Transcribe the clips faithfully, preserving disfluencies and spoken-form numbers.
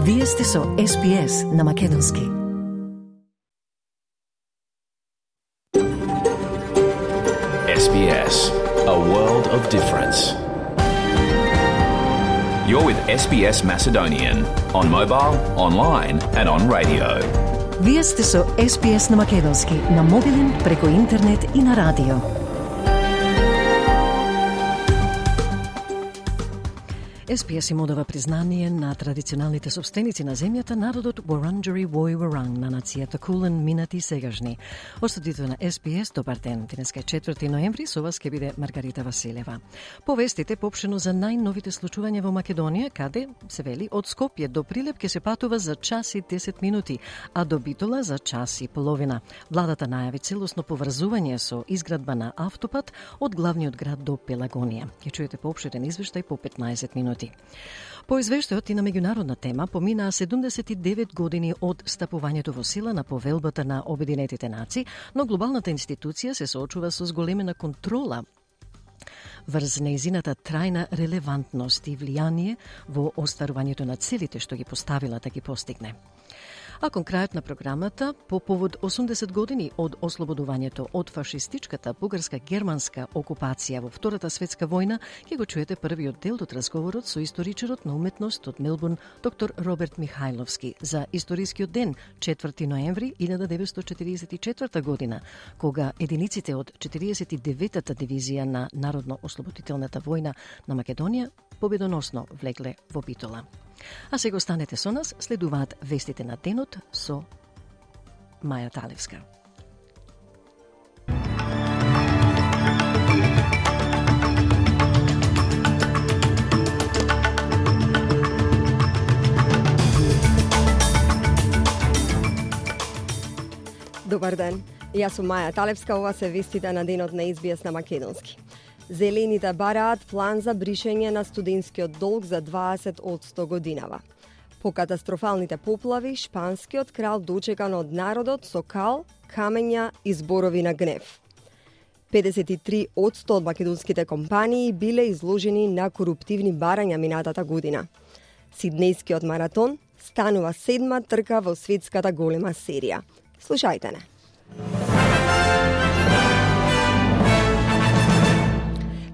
Вие сте со Ес Би Ес на Македонски. Ес Би Ес, a world of difference. You're with Ес Би Ес Macedonian on mobile, online and on radio. Вие сте со Ес Би Ес на Македонски, на мобилен, преку интернет и на радио. Ес Би Ес им одава признание на традиционалните собственици на земјата, народот Wurundjeri Woi Wurrung на нацијата Кулен, минати и сегашни. Од студиото на Ес Би Ес, добар ден. Денеска е четврти ноември, со вас ќе биде Маргарита Василева. Повестите поопштено за најновите случувања во Македонија, каде се вели од Скопје до Прилеп ќе се патува за час и десет минути, а до Битола за час и половина. Владата најави целосно поврзување со изградба на автопат од главниот град до Пелагонија. Ќе чуете поопштен извештај по петнаесет минути. По извештајот и на меѓународна тема поминаа седумдесет и девет години од стапувањето во сила на повелбата на Обединетите нации, но глобалната институција се соочува со зголемена контрола врз нејзината трајна релевантност и влијание во остварувањето на целите што ги поставила да ги постигне. А кон крајот на програмата, по повод осумдесет години од ослободувањето од фашистичката бугарска-германска окупација во Втората светска војна, ќе го чуете првиот дел од разговорот со историчарот на уметност од Мелбурн, доктор Роберт Михајловски, за историскиот ден, четврти ноември илјада деветстотини четиридесет и четврта година, кога единиците од четиридесет и деветата дивизија на Народно-ослободителната војна на Македонија победоносно влегле во Битола. А сега останете со нас, следуваат вестите на денот со Маја Талевска. Добар ден, јас сум Маја Талевска, ова се вестите на денот на Ес Би Ес на Македонски. Зелените бараат план за бришење на студентскиот долг за дваесет одсто годинава. По катастрофалните поплави, шпанскиот крал дочекан од народот со кал, камења и зборови на гнев. педесет и три одсто од македонските компании биле изложени на коруптивни барања минатата година. Сиднејскиот маратон станува седма трка во светската голема серија. Слушајте не.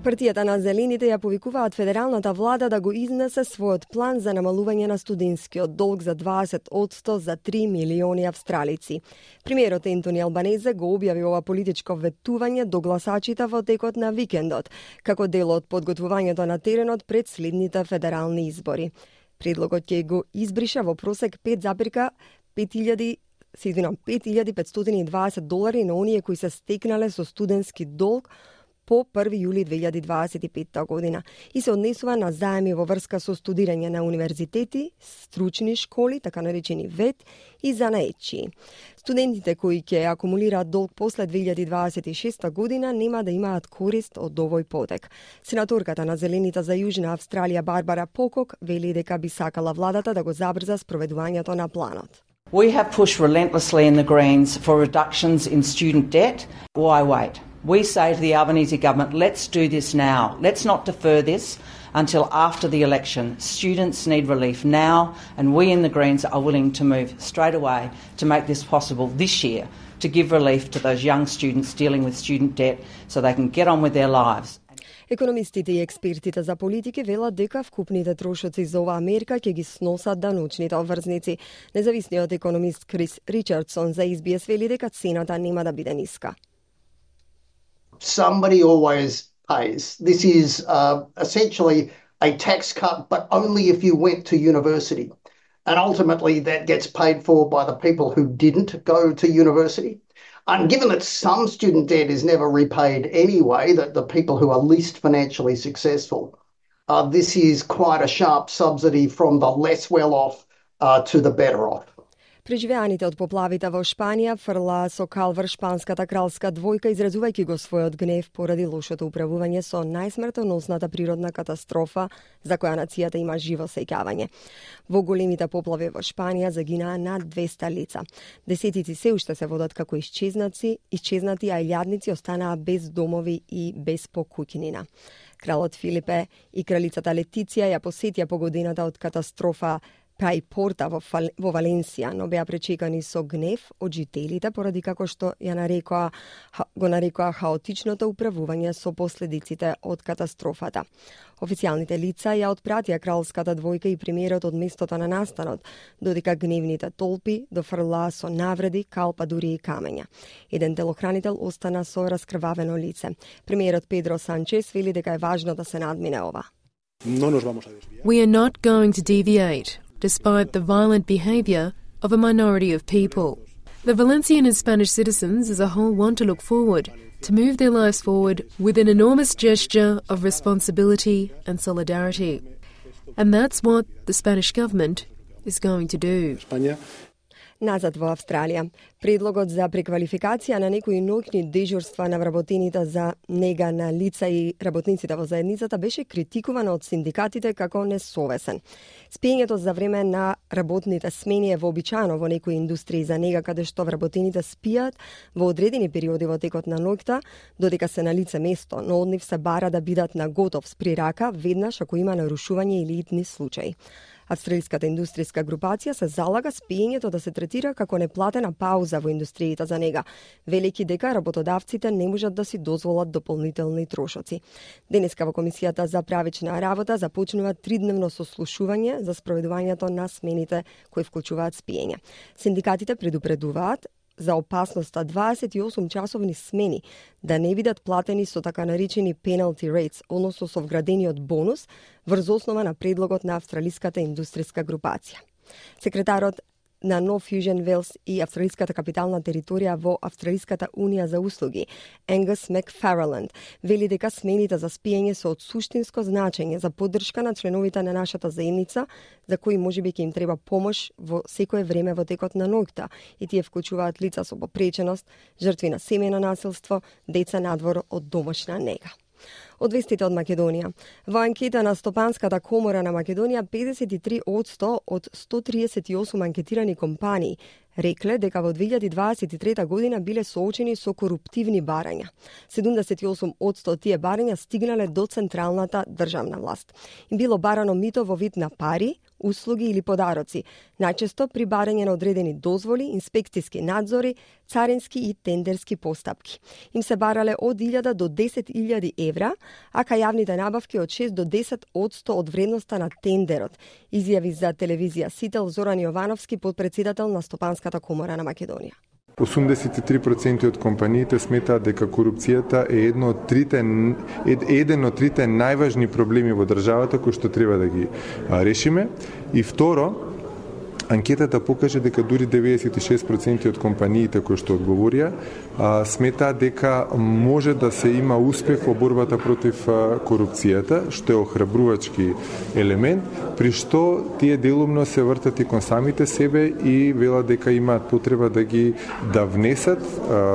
Партијата на Зелените ја повикуваат федералната влада да го изнесе својот план за намалување на студентскиот долг за дваесет одсто за три милиони австралици. Премиерот Ентони Албанезе го објави ова политичко ветување до гласачите во текот на викендот, како дел од подготвувањето на теренот пред следните федерални избори. Предлогот ќе го избриша во просек пет запирка пет илјади петстотини и дваесет долари на оние кои се стекнале со студентски долг по први јули две илјади дваесет и петта година и се однесува на заеми во врска со студирање на универзитети, стручни школи, така наречени ВЕТ и занаетчии. Студентите кои ќе акумулираат долг после две илјади дваесет и шеста година нема да имаат корист од овој потек. Сенаторката на Зелените за Јужна Австралија Барбара Покок вели дека би сакала владата да го забрза спроведувањето на планот. We have pushed relentlessly in the Greens for reductions in student debt. Why wait? We say to the Albanese government, let's do this now. Let's not defer this until after the election. Students need relief now, and we in the Greens are willing to move straight away to make this possible this year, to give relief to those young students dealing with student debt so they can get on with their lives. Економистите и експертите за политики велат дека вкупните трошоци за оваа мерка ќе ги сносат даночните обврзници. Независниот економист Крис Ричардсон за Ес Би Ес вели дека цената нема да биде ниска. Somebody always pays. This is uh, essentially a tax cut, but only if you went to university. And ultimately that gets paid for by the people who didn't go to university. And given that some student debt is never repaid anyway, that the people who are least financially successful, uh, this is quite a sharp subsidy from the less well-off uh, to the better off. Преживеаните од поплавите во Шпанија фрла со кал врз шпанската кралска двојка, изразувајќи го својот гнев поради лошото управување со најсмртоносната природна катастрофа за која нацијата има живо сеќавање. Во големите поплави во Шпанија загинаа над двеста лица. Десетици се уште се водат како исчезнати, исчезнати, а илјадници останаа без домови и без покуќнина. Кралот Филипе и кралицата Летиција ја посетија погодината од катастрофа Прај порта во, Фал... во Валенсија, но беа пречекани со гнев од жителите поради како што ја нарекоа, го нарекоа хаотичното управување со последиците од катастрофата. Официјалните лица ја отпратија кралската двојка и премиерот од местото на настанот, додека гневните толпи дофрлаа со навреди, калпа, дури и камења. Еден телохранител остана со раскрвавено лице. Премиерот Педро Санчес вели дека е важно да се надмине ова. We are not going to deviate, despite the violent behaviour of a minority of people. The Valencian and Spanish citizens as a whole want to look forward, to move their lives forward with an enormous gesture of responsibility and solidarity. And that's what the Spanish government is going to do. Назад во Австралија, предлогот за преквалификација на некои ноќни дежурства на вработените за нега на лица и работниците во заедницата беше критикувано од синдикатите како несовесен. Спиењето за време на работните смени е вообичаено во некои индустрии за нега каде што вработените спијат во одредени периоди во текот на ноќта, додека се на лице место, но од нив се бара да бидат на готов спри рака веднаш ако има нарушување или итни случаи. Австралиската индустријска групација се залага спиењето да се третира како неплатена пауза во индустријата за нега, велики дека работодавците не можат да си дозволат дополнителни трошоци. Денеска во Комисијата за правична работа започнува тридневно сослушување за спроведувањето на смените кои вклучуваат спиење. Синдикатите предупредуваат за опасноста дваесет и осум часовни смени да не бидат платени со така наречени penalty rates, односно со вградениот бонус врз основа на предлогот на Австралиската индустријска групација. Секретарот на No Fusion Wales и австралиската капитална територија во Австралиската унија за услуги, Енгус Макфарланд, вели дека смените за спиење се од суштинско значење за поддршка на членовите на нашата заедница, за кои можеби ќе им треба помош во секое време во текот на ноќта, и тие вклучуваат лица со попреченост, жртви на семејно насилство, деца надвор од домашна нега. Од вестите од Македонија. Во анкета на Стопанската комора на Македонија, педесет и три одсто од сто триесет и осум анкетирани компании рекле дека во две илјади дваесет и трета година биле соочени со коруптивни барања. седумдесет и осум одсто од тие барања стигнале до централната државна власт. Им било барано мито во вид на пари, услуги или подароци, најчесто при барање на одредени дозволи, инспекцијски надзори, царински и тендерски постапки. Им се барале од илјада до десет илјади евра, а кај јавните набавки од шест до десет одсто од вредноста на тендерот, изјави за телевизија Сител Зоран Јовановски, подпредседател на Стопанската комора на Македонија. осумдесет и три проценти од компаниите сметаат дека корупцијата е едно од трите еден од трите најважни проблеми во државата кои што треба да ги решиме. И второ, анкетата покаже дека дури деветдесет и шест проценти од компаниите кои што одговорија сметаат дека може да се има успех во борбата против корупцијата, што е охрабрувачки елемент, при што тие делумно се вртат и кон самите себе и велат дека имаат потреба да ги да внесат,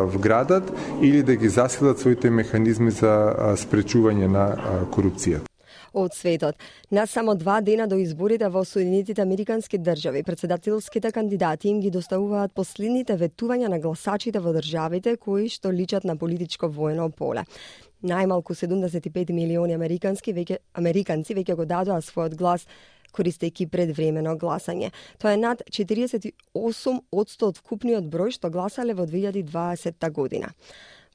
вградат или да ги засилат своите механизми за спречување на корупцијата. Од светот. На само два дена до изборите во Соединетите Американски држави, председателските кандидати им ги доставуваат последните ветувања на гласачите во државите кои што личат на политичко воено поле. Најмалку седумдесет и пет милиони американски веќе американци веќе го дадоа својот глас користејќи предвремено гласање. Тоа е над четириесет и осум одсто од вкупниот број што гласале во две илјади дваесетта година.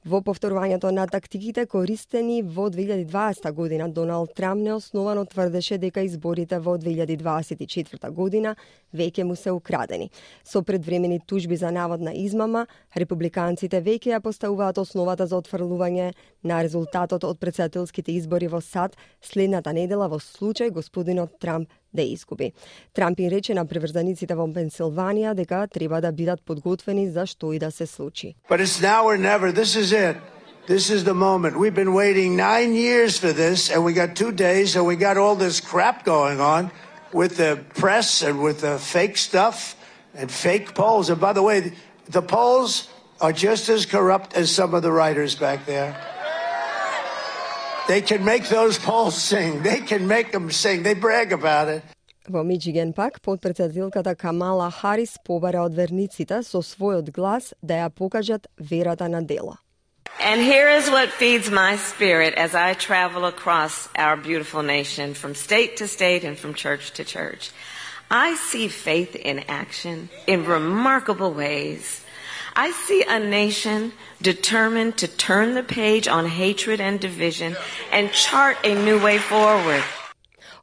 Во повторувањето на тактиките користени во две илјади дваесетта година, Доналд Трамп неосновано тврдеше дека изборите во две илјади дваесет и четврта година веќе му се украдени. Со предвремени тужби за наводна измама, републиканците веќе ја поставуваат основата за отфрлување на резултатот од претседателските избори во САД следната недела во случај господинот Трамп да изгуби. Трамп им рече на приврзаниците во Пенсилванија дека треба да бидат подготвени за што и да се случи. But it's now or never. This is it. This is the moment. We've been waiting nine years for this, and we got two days, and we got all this crap going on with the press and with the fake stuff and fake polls. And by the way, the polls are just as corrupt as some of the writers back there. They can make those polls sing. They can make them sing. They brag about it. Во Мичиген пак, подпредседателката Камала Харис побара од верниците со својот глас да ја покажат верата на дело. And here is what feeds my spirit as I travel across our beautiful nation from state to state and from church to church. I see faith in action in remarkable ways. I see a nation determined to turn the page on hatred and division and chart a new way forward.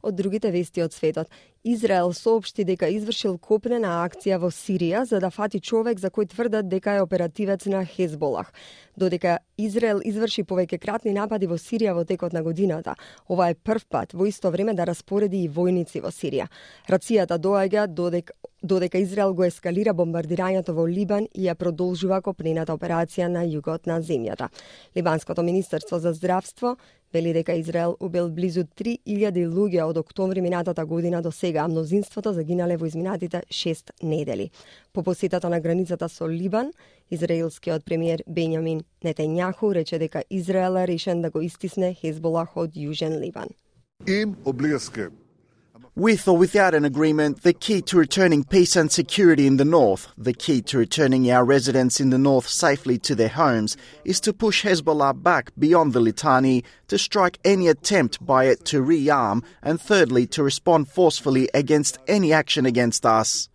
Од другите вести од светот, Израел соопшти дека извршил копнена акција во Сирија за да фати човек за кој тврдат дека е оперативец на Хезболах. Додека Израел изврши повеќекратни напади во Сирија во текот на годината, ова е прв пат во исто време да распореди и војници во Сирија. Рацијата доаѓа додека додека Израел го ескалира бомбардирањето во Либан и ја продолжува копнената операција на југот на земјата. Либанското министерство за здравство вели дека Израел убил близу три илјади луѓе од октомври минатата година до сега, а мнозинството загинале во изминатите шест недели. По посетата на границата со Либан, израелскиот премиер Бенјамин Нетањаху рече дека Израел е решен да го истисне Хезболах од Јужен Либан. Им облијаске. With or without an agreement, the key to returning peace and security in the north, the key to returning our residents in the north safely to their homes, is to push Hezbollah back beyond the Litani, to strike any attempt by it to rearm, and thirdly, to respond forcefully against any action against us.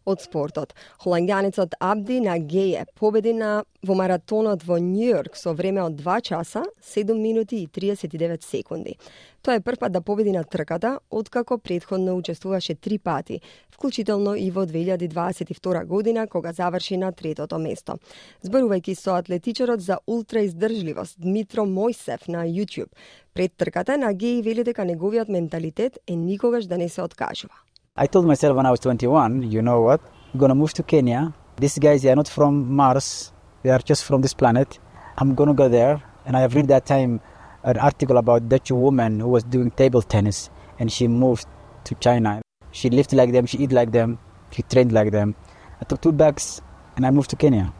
Од спортот, холандјанецот Абди Нагеје победи на во маратонот во Њујорк со време од два часа, седум минути и триесет и девет секунди. Тоа е прв пат да победи на трката, откако претходно учествуваше три пати, вклучително и во две илјади дваесет и втора година, кога заврши на третото место. Зборувајќи со атлетичарот за ултраиздржливост Дмитро Мојсев на YouTube, пред трката Нагеје вели дека неговиот менталитет е никогаш да не се откажува. I told myself when I was twenty-one, you know what, I'm going to move to Kenya. These guys, they are not from Mars. They are just from this planet. I'm going to go there. And I have read that time an article about a Dutch woman who was doing table tennis. And she moved to China. She lived like them. She eat like them. She trained like them. I took two bags and I moved to Kenya.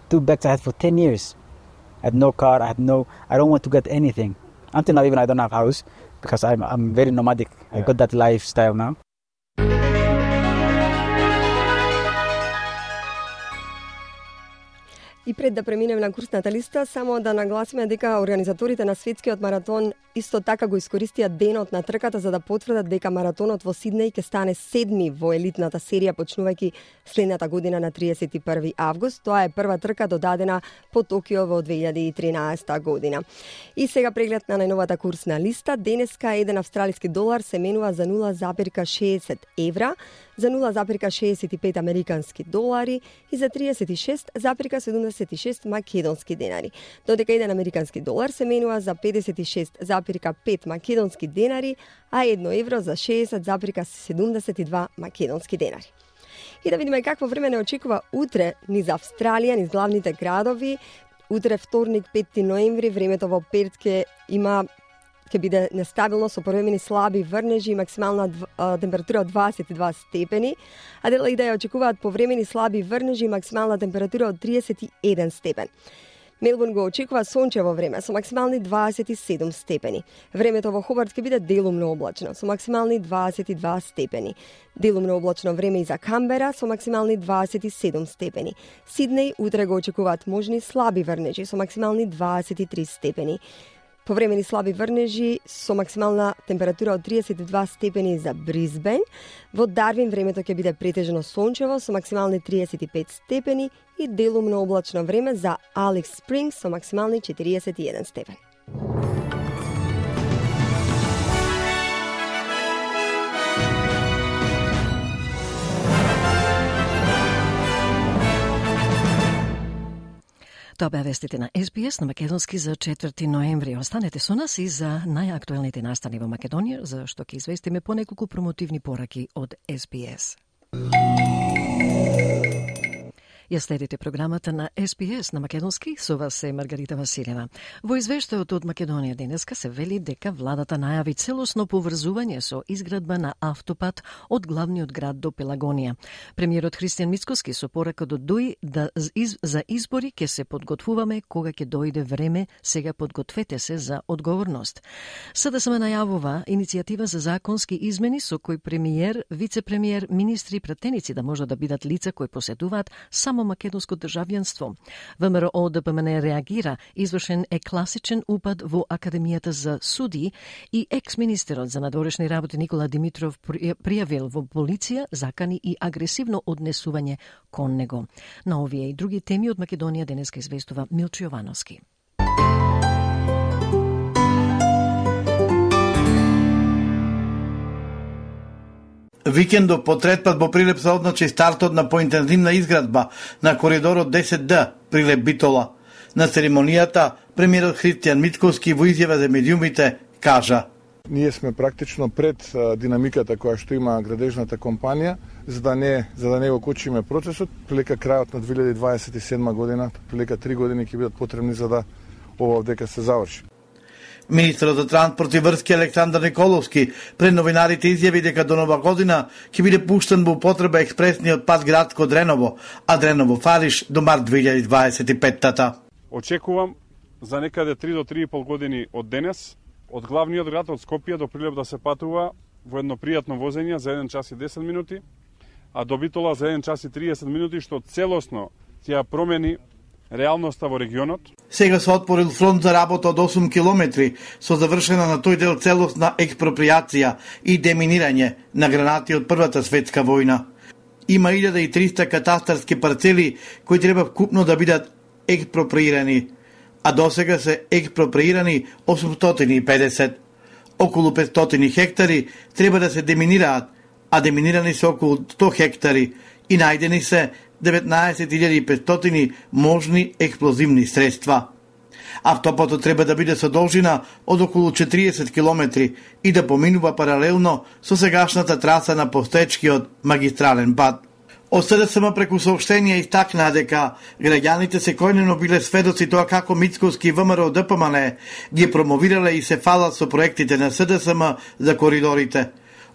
Two bags I had for ten years. I had no car. I had no, I don't want to get anything. Until now, even I don't have a house because I'm, I'm very nomadic. Yeah. I got that lifestyle now. И пред да преминеме на курсната листа, само да нагласиме дека организаторите на светскиот маратон исто така го искористија денот на трката за да потврдат дека маратонот во Сиднеј ќе стане седми во елитната серија почнувајќи следната година на триесет и први август. Тоа е прва трка додадена по Токио во две илјади и тринаесета година. И сега преглед на најновата курсна листа. Денеска еден австралиски долар се менува за нула зарез шеесет евра, за нула зарез шеесет и пет американски долари и за триесет и шест зарез седумдесет и шест македонски денари. Додека еден американски долар се менува за педесет и шест зарез пет македонски денари, а едно евро за шеесет зарез седумдесет и два македонски денари. И да видиме какво време не очекува утре низ Австралија, низ главните градови. Утре вторник, пети ноември, времето во Перт ќе има ќе биде нестабилно со повремени слаби врнежи и максимална температура од дваесет и два степени. Аделаида ја очекуваат повремени слаби врнежи и максимална температура од триесет и еден степен. Мелбурн го очекува сончево време со максимални дваесет и седум степени. Времето во Хобарт ќе биде делумно облачно со максимални дваесет и два степени. Делумно облачно време и за Камбера со максимални дваесет и седум степени. Сиднеј утре го очекуваат можни слаби врнежи со максимални дваесет и три степени. Повремени слаби врнежи со максимална температура од триесет и два степени за Брисбен. Во Дарвин времето ќе биде претежно сончево со максимални триесет и пет степени и делумно облачно време за Алекс Спрингс со максимални четириесет и еден степен. Тоа беа вестите на Ес Би Ес на македонски за четврти ноември. Останете со нас и за најактуелните настани во Македонија, за што ќе известиме по неколку промотивни пораки од Ес Би Ес. Ја следите програмата на Ес Би Ес на македонски, со вас е Маргарита Василева. Во извештајот од Македонија денеска се вели дека владата најави целосно поврзување со изградба на автопат од главниот град до Пелагонија. Премиерот Христијан Мицкоски со поракот од Дуи да из, за избори ќе се подготвуваме кога ќе дојде време, сега подгответе се за одговорност. СДСМ најавува иницијатива за законски измени со кој премиер, вице-премиер, министри и пратеници да можат да бидат лица кои посетуваат само само македонско државјанство. ВМРО Д П М Н реагира, извршен е класичен упад во Академијата за суди и екс-министерот за надворешни работи Никола Димитров пријавил во полиција, закани и агресивно однесување кон него. На овие и други теми од Македонија денеска известува Милчо Јовановски. Викендов по трет пат во Прилеп се одначи стартот на поинтензивна изградба на коридорот десет Д Прилеп Битола. На церемонијата премиерот Христијан Мицковски во изјава за медиумите кажа: Ние сме практично пред а, динамиката која што има градежната компанија, за да не за да не го кочиме процесот. Прилека крајот на две илјади дваесет и седма година, прилека три години ќе бидат потребни за да ова овдека се заврши. Министерот за транспорт и врски Александар Николовски пред новинарите изјави дека до нова година ќе биде пуштен во употреба експресниот пат градско Дреново, а Дреново Фалиш до март две илјади дваесет и петта. Очекувам за некаде три до три и пол години од денес од главниот град од Скопје до Прилеп да се патува во едно пријатно возење за еден час и десет минути, а до Битола за еден час и триесет минути, што целосно ќе промени реалноста во регионот. Сега се отворил фронт за работа од осум километри со завршена на тој дел целосна експропријација и деминирање на гранати од Првата светска војна. Има илјада и триста катастарски парцели кои треба вкупно да бидат експроприирани, а досега се експроприирани осумстотини и педесет. Околу петстотини хектари треба да се деминираат, а деминирани се околу сто хектари и најдени се деветнаесет илјади и петстотини можни експлозивни средства. Автопатот треба да биде со должина од околу четириесет километри и да поминува паралелно со сегашната траса на постоечкиот магистрален пат. Од С Д С М преку соопштенија истакнаа дека граѓаните секојдневно биле сведоци тоа како Мицковски и ВМРО Д П М Н ги промовирале и се фалат со проектите на С Д С М за коридорите.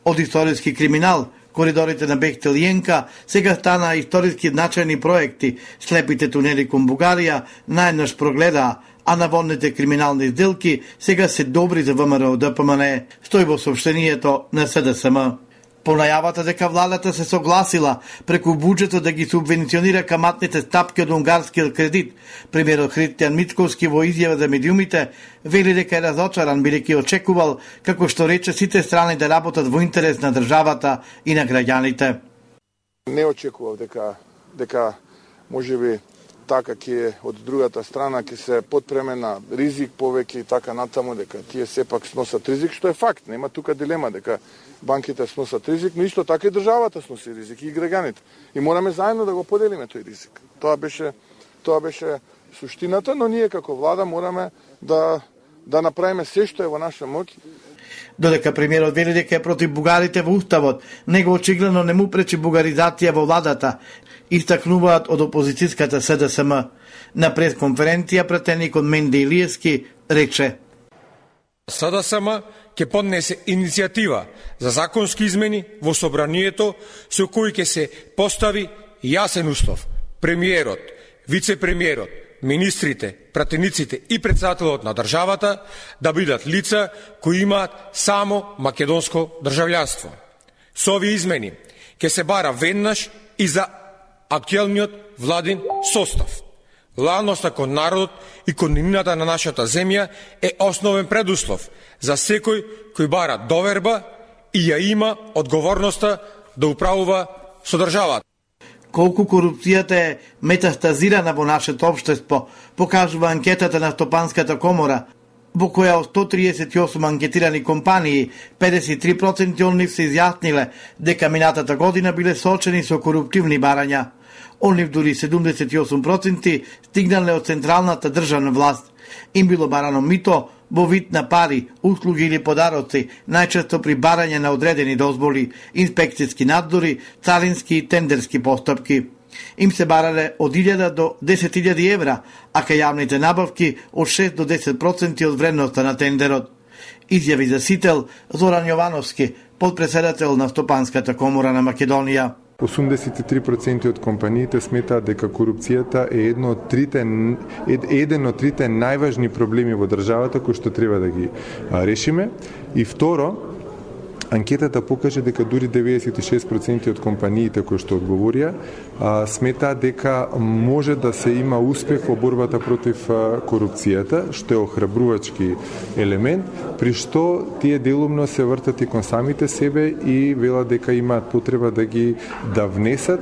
Од историски криминал, коридорите на Бехтел и Енка, сега станаа историски значајни проекти. Слепите тунели кон Бугарија најнаш прогледаа, а наводните криминални сделки сега се добри за ВМРО Д П М Н, стои во соопштението на С Д С М. По најавата дека владата се согласила преку буџетот да ги субвенционира каматните стапки од унгарскиот кредит, премиерот Христијан Мицковски во изјава за медиумите вели дека е разочаран бидејќи очекувал, како што рече, сите страни да работат во интерес на државата и на граѓаните. Не очекував дека дека можеби така ќе од другата страна ќе се подпреме на ризик повеќе и така натаму, дека тие сепак сносат ризик, што е факт, нема тука дилема дека банките сносат ризик, но исто така и државата сноси ризик и граѓаните. И мораме заедно да го поделиме тој ризик. Тоа беше тоа беше суштината, но ние како влада мораме да да направиме се што е во наша моќ. Додека премиерот вели дека е против бугарите во уставот, него очигледно не му пречи бугаризација во владата, истакнуваат од опозицијската С Д С М. На пресконференција пратеникот Менде Илиевски рече: С Д С М ќе поднесе иницијатива за законски измени во собранието со кои ќе се постави јасен услов. Премиерот, вице-премиерот, министрите, пратениците и председателот на државата да бидат лица кои имаат само македонско државјанство. Со овие измени ќе се бара веднаш и за актуелниот владин состав. Лојалноста кон народот и кон иднината на нашата земја е основен предуслов за секој кој бара доверба и ја има одговорноста да управува со државата. Колку корупцијата е метастазирана во нашето општество, покажува анкетата на Стопанската комора, во која од сто триесет и осум анкетирани компании, педесет и три проценти од нив се изјасниле дека минатата година биле соочени со коруптивни барања. Од нив дури седумдесет и осум проценти стигнале од централната државна власт. Им било барано мито во вид на пари, услуги или подароци, најчесто при барање на одредени дозволи, инспекцијски надзори, царински и тендерски постапки. Им се барале од илјада до десет илјади евра, а кај јавните набавки од шест до десет проценти од вредноста на тендерот. Изјави за сител Зоран Јовановски, подпредседател на Стопанската комора на Македонија. осумдесет и три проценти од компаниите сметаат дека корупцијата е едно од трите еден од трите најважни проблеми во државата кои што треба да ги решиме. И второ, анкетата покаже дека дури деветдесет и шест проценти од компаниите кои што одговорија сметаат дека може да се има успех во борбата против корупцијата, што е охрабрувачки елемент, при што тие делумно се вртат и кон самите себе и велат дека имаат потреба да ги да внесат,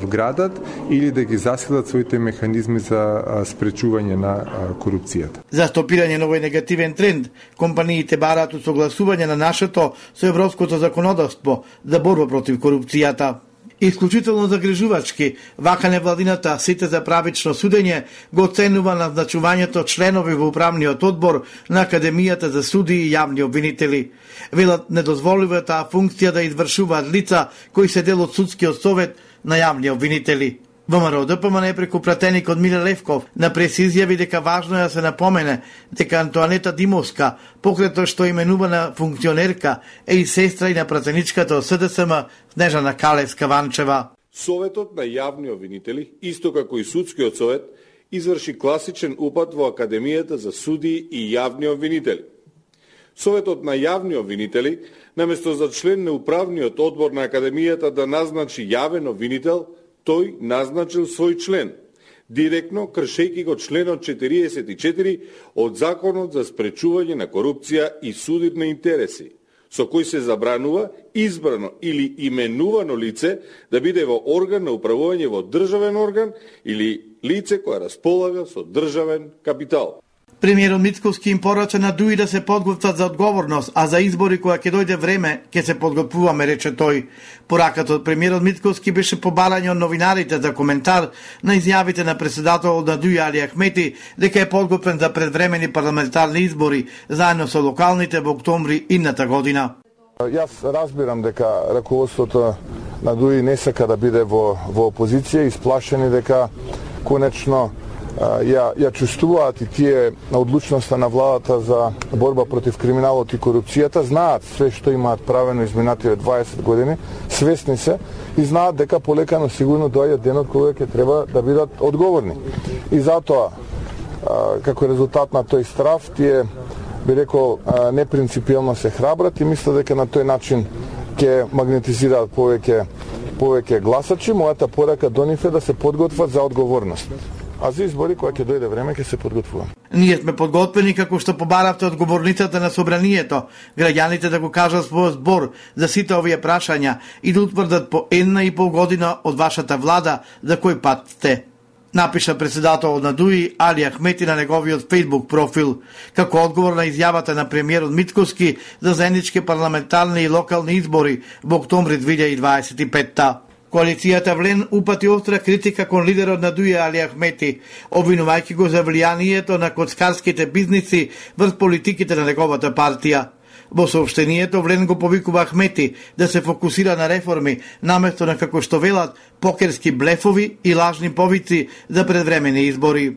вградат или да ги засилат своите механизми за спречување на корупцијата. За стопирање на овој негативен тренд, компаниите бараат усогласување на нашето со европското законодавство за борба против корупцијата. Исклучително загрижувачки, вака невладината сите за правично судење го оценува назначувањето членови во управниот одбор на Академијата за судии и јавни обвинители. Велат не дозволува таа функција да извршуваат лица кои се дел од судскиот совет на јавни обвинители. ВМРО Д П М Н преку пратеникот Миле Левков на прес изјави дека важно е да се напомене дека Антоанета Димовска, покрај тоа што именувана функционерка, е и сестра и на пратеничката од С Д С М Снежана Калевска-Ванчева. Советот на јавни обвинители, исто како и судскиот совет, изврши класичен упат во Академијата за судии и јавни обвинители. Советот на јавни обвинители, наместо за член на управниот одбор на Академијата да назначи јавен обвинител, тој назначил свој член, директно кршејќи го членот четириесет и четири од Законот за спречување на корупција и судир на интереси, со кој се забранува избрано или именувано лице да биде во орган на управување во државен орган или лице кое располага со државен капитал. Премиерот Мицкоски им порача на ДУИ да се подготват за одговорност, а за избори кога ќе дојде време, ќе се подготвуваме, рече тој. Пораката од премиерот Мицкоски беше побарање од новинарите за коментар на изјавите на председателот на ДУИ Али Ахмети дека е подготвен за предвремени парламентарни избори, заедно со локалните во октомври идната година. Јас разбирам дека раководството на ДУИ не сака да биде во, во опозиција, исплашени дека конечно ја, ја чувствуваат и тие на одлучноста на владата за борба против криминалот и корупцијата, знаат све што имаат правено изминативе дваесет години, свесни се и знаат дека полека но сигурно доаѓа денот кога ќе треба да бидат одговорни. И затоа, како резултат на тој страв, тие, би рекол, непринципиелно се храбрат и мислат дека на тој начин ќе магнетизираат повеќе повеќе гласачи. Мојата порака до нив е да се подготват за одговорност. А за избори, кога ќе дојде време, ќе се подготвуваме. Ние сме подготвени како што побаравте од говорницата на собранието, граѓаните да го кажат својот збор за сите овие прашања и да утврдат по една и пол година од вашата влада за кој пат сте. Напиша председателот на ДУИ Али Ахмети на неговиот фејсбук профил, како одговор на изјавата на премиерот Мицкоски за заеднички парламентарни и локални избори во октомври две илјади дваесет и петта. Коалицијата Влен упати остра критика кон лидерот на ДУИ Али Ахмети, обвинувајќи го за влијанието на коцкарските бизниси врз политиките на неговата партија. Во соопштението Влен го повикува Ахмети да се фокусира на реформи, наместо на, како што велат, покерски блефови и лажни повици за предвремени избори.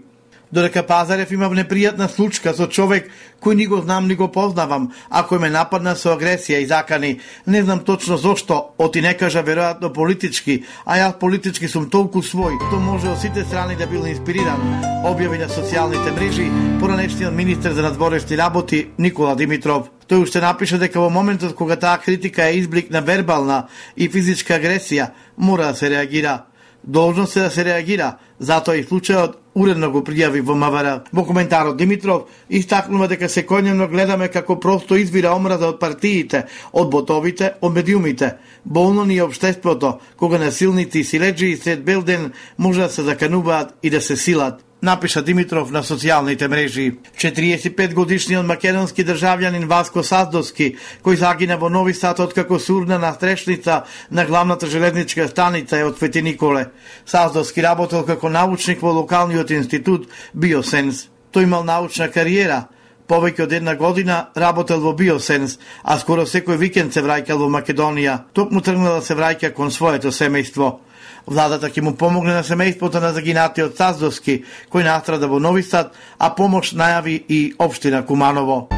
Додека Пазарев имав непријатна случка со човек кој ни го знам, ни го познавам, а кој ме нападна со агресија и закани. Не знам точно зошто, оти не кажа веројатно политички, а јас политички сум толку свој, то може од сите страни да бил инспириран, објави на социјалните мрежи поранешниот министер за надворешни работи Никола Димитров. Тој уште напиша дека во моментот кога таа критика е изблик на вербална и физичка агресија, мора да се реагира. Должно се да се реагира, затоа и случајот уредно го пријави во МВР. Во коментарот Димитров истакнува дека секојдневно гледаме како просто извира омраза од партиите, од ботовите, од медиумите. Болно ни е општеството, кога насилници и силеџи сред бел ден може да се закануваат и да се силат. Напиша Димитров на социјалните мрежи. четириесет и пет годишниот македонски државјанин Васко Саздовски, кој загина во Нови Сад откако се урна на стрешница на главната железничка станица е од Свети Николе. Саздовски работел како научник во локалниот институт Биосенс. Тој имал научна кариера. Повеќе од една година работел во Биосенс, а скоро секој викенд се враќал во Македонија. Токму тргнал да се враќа кон своето семејство. Владата ќе му помогне на семејството на загинатиот Саздовски, кој настрада во Нови Сад, а помош најави и општина Куманово.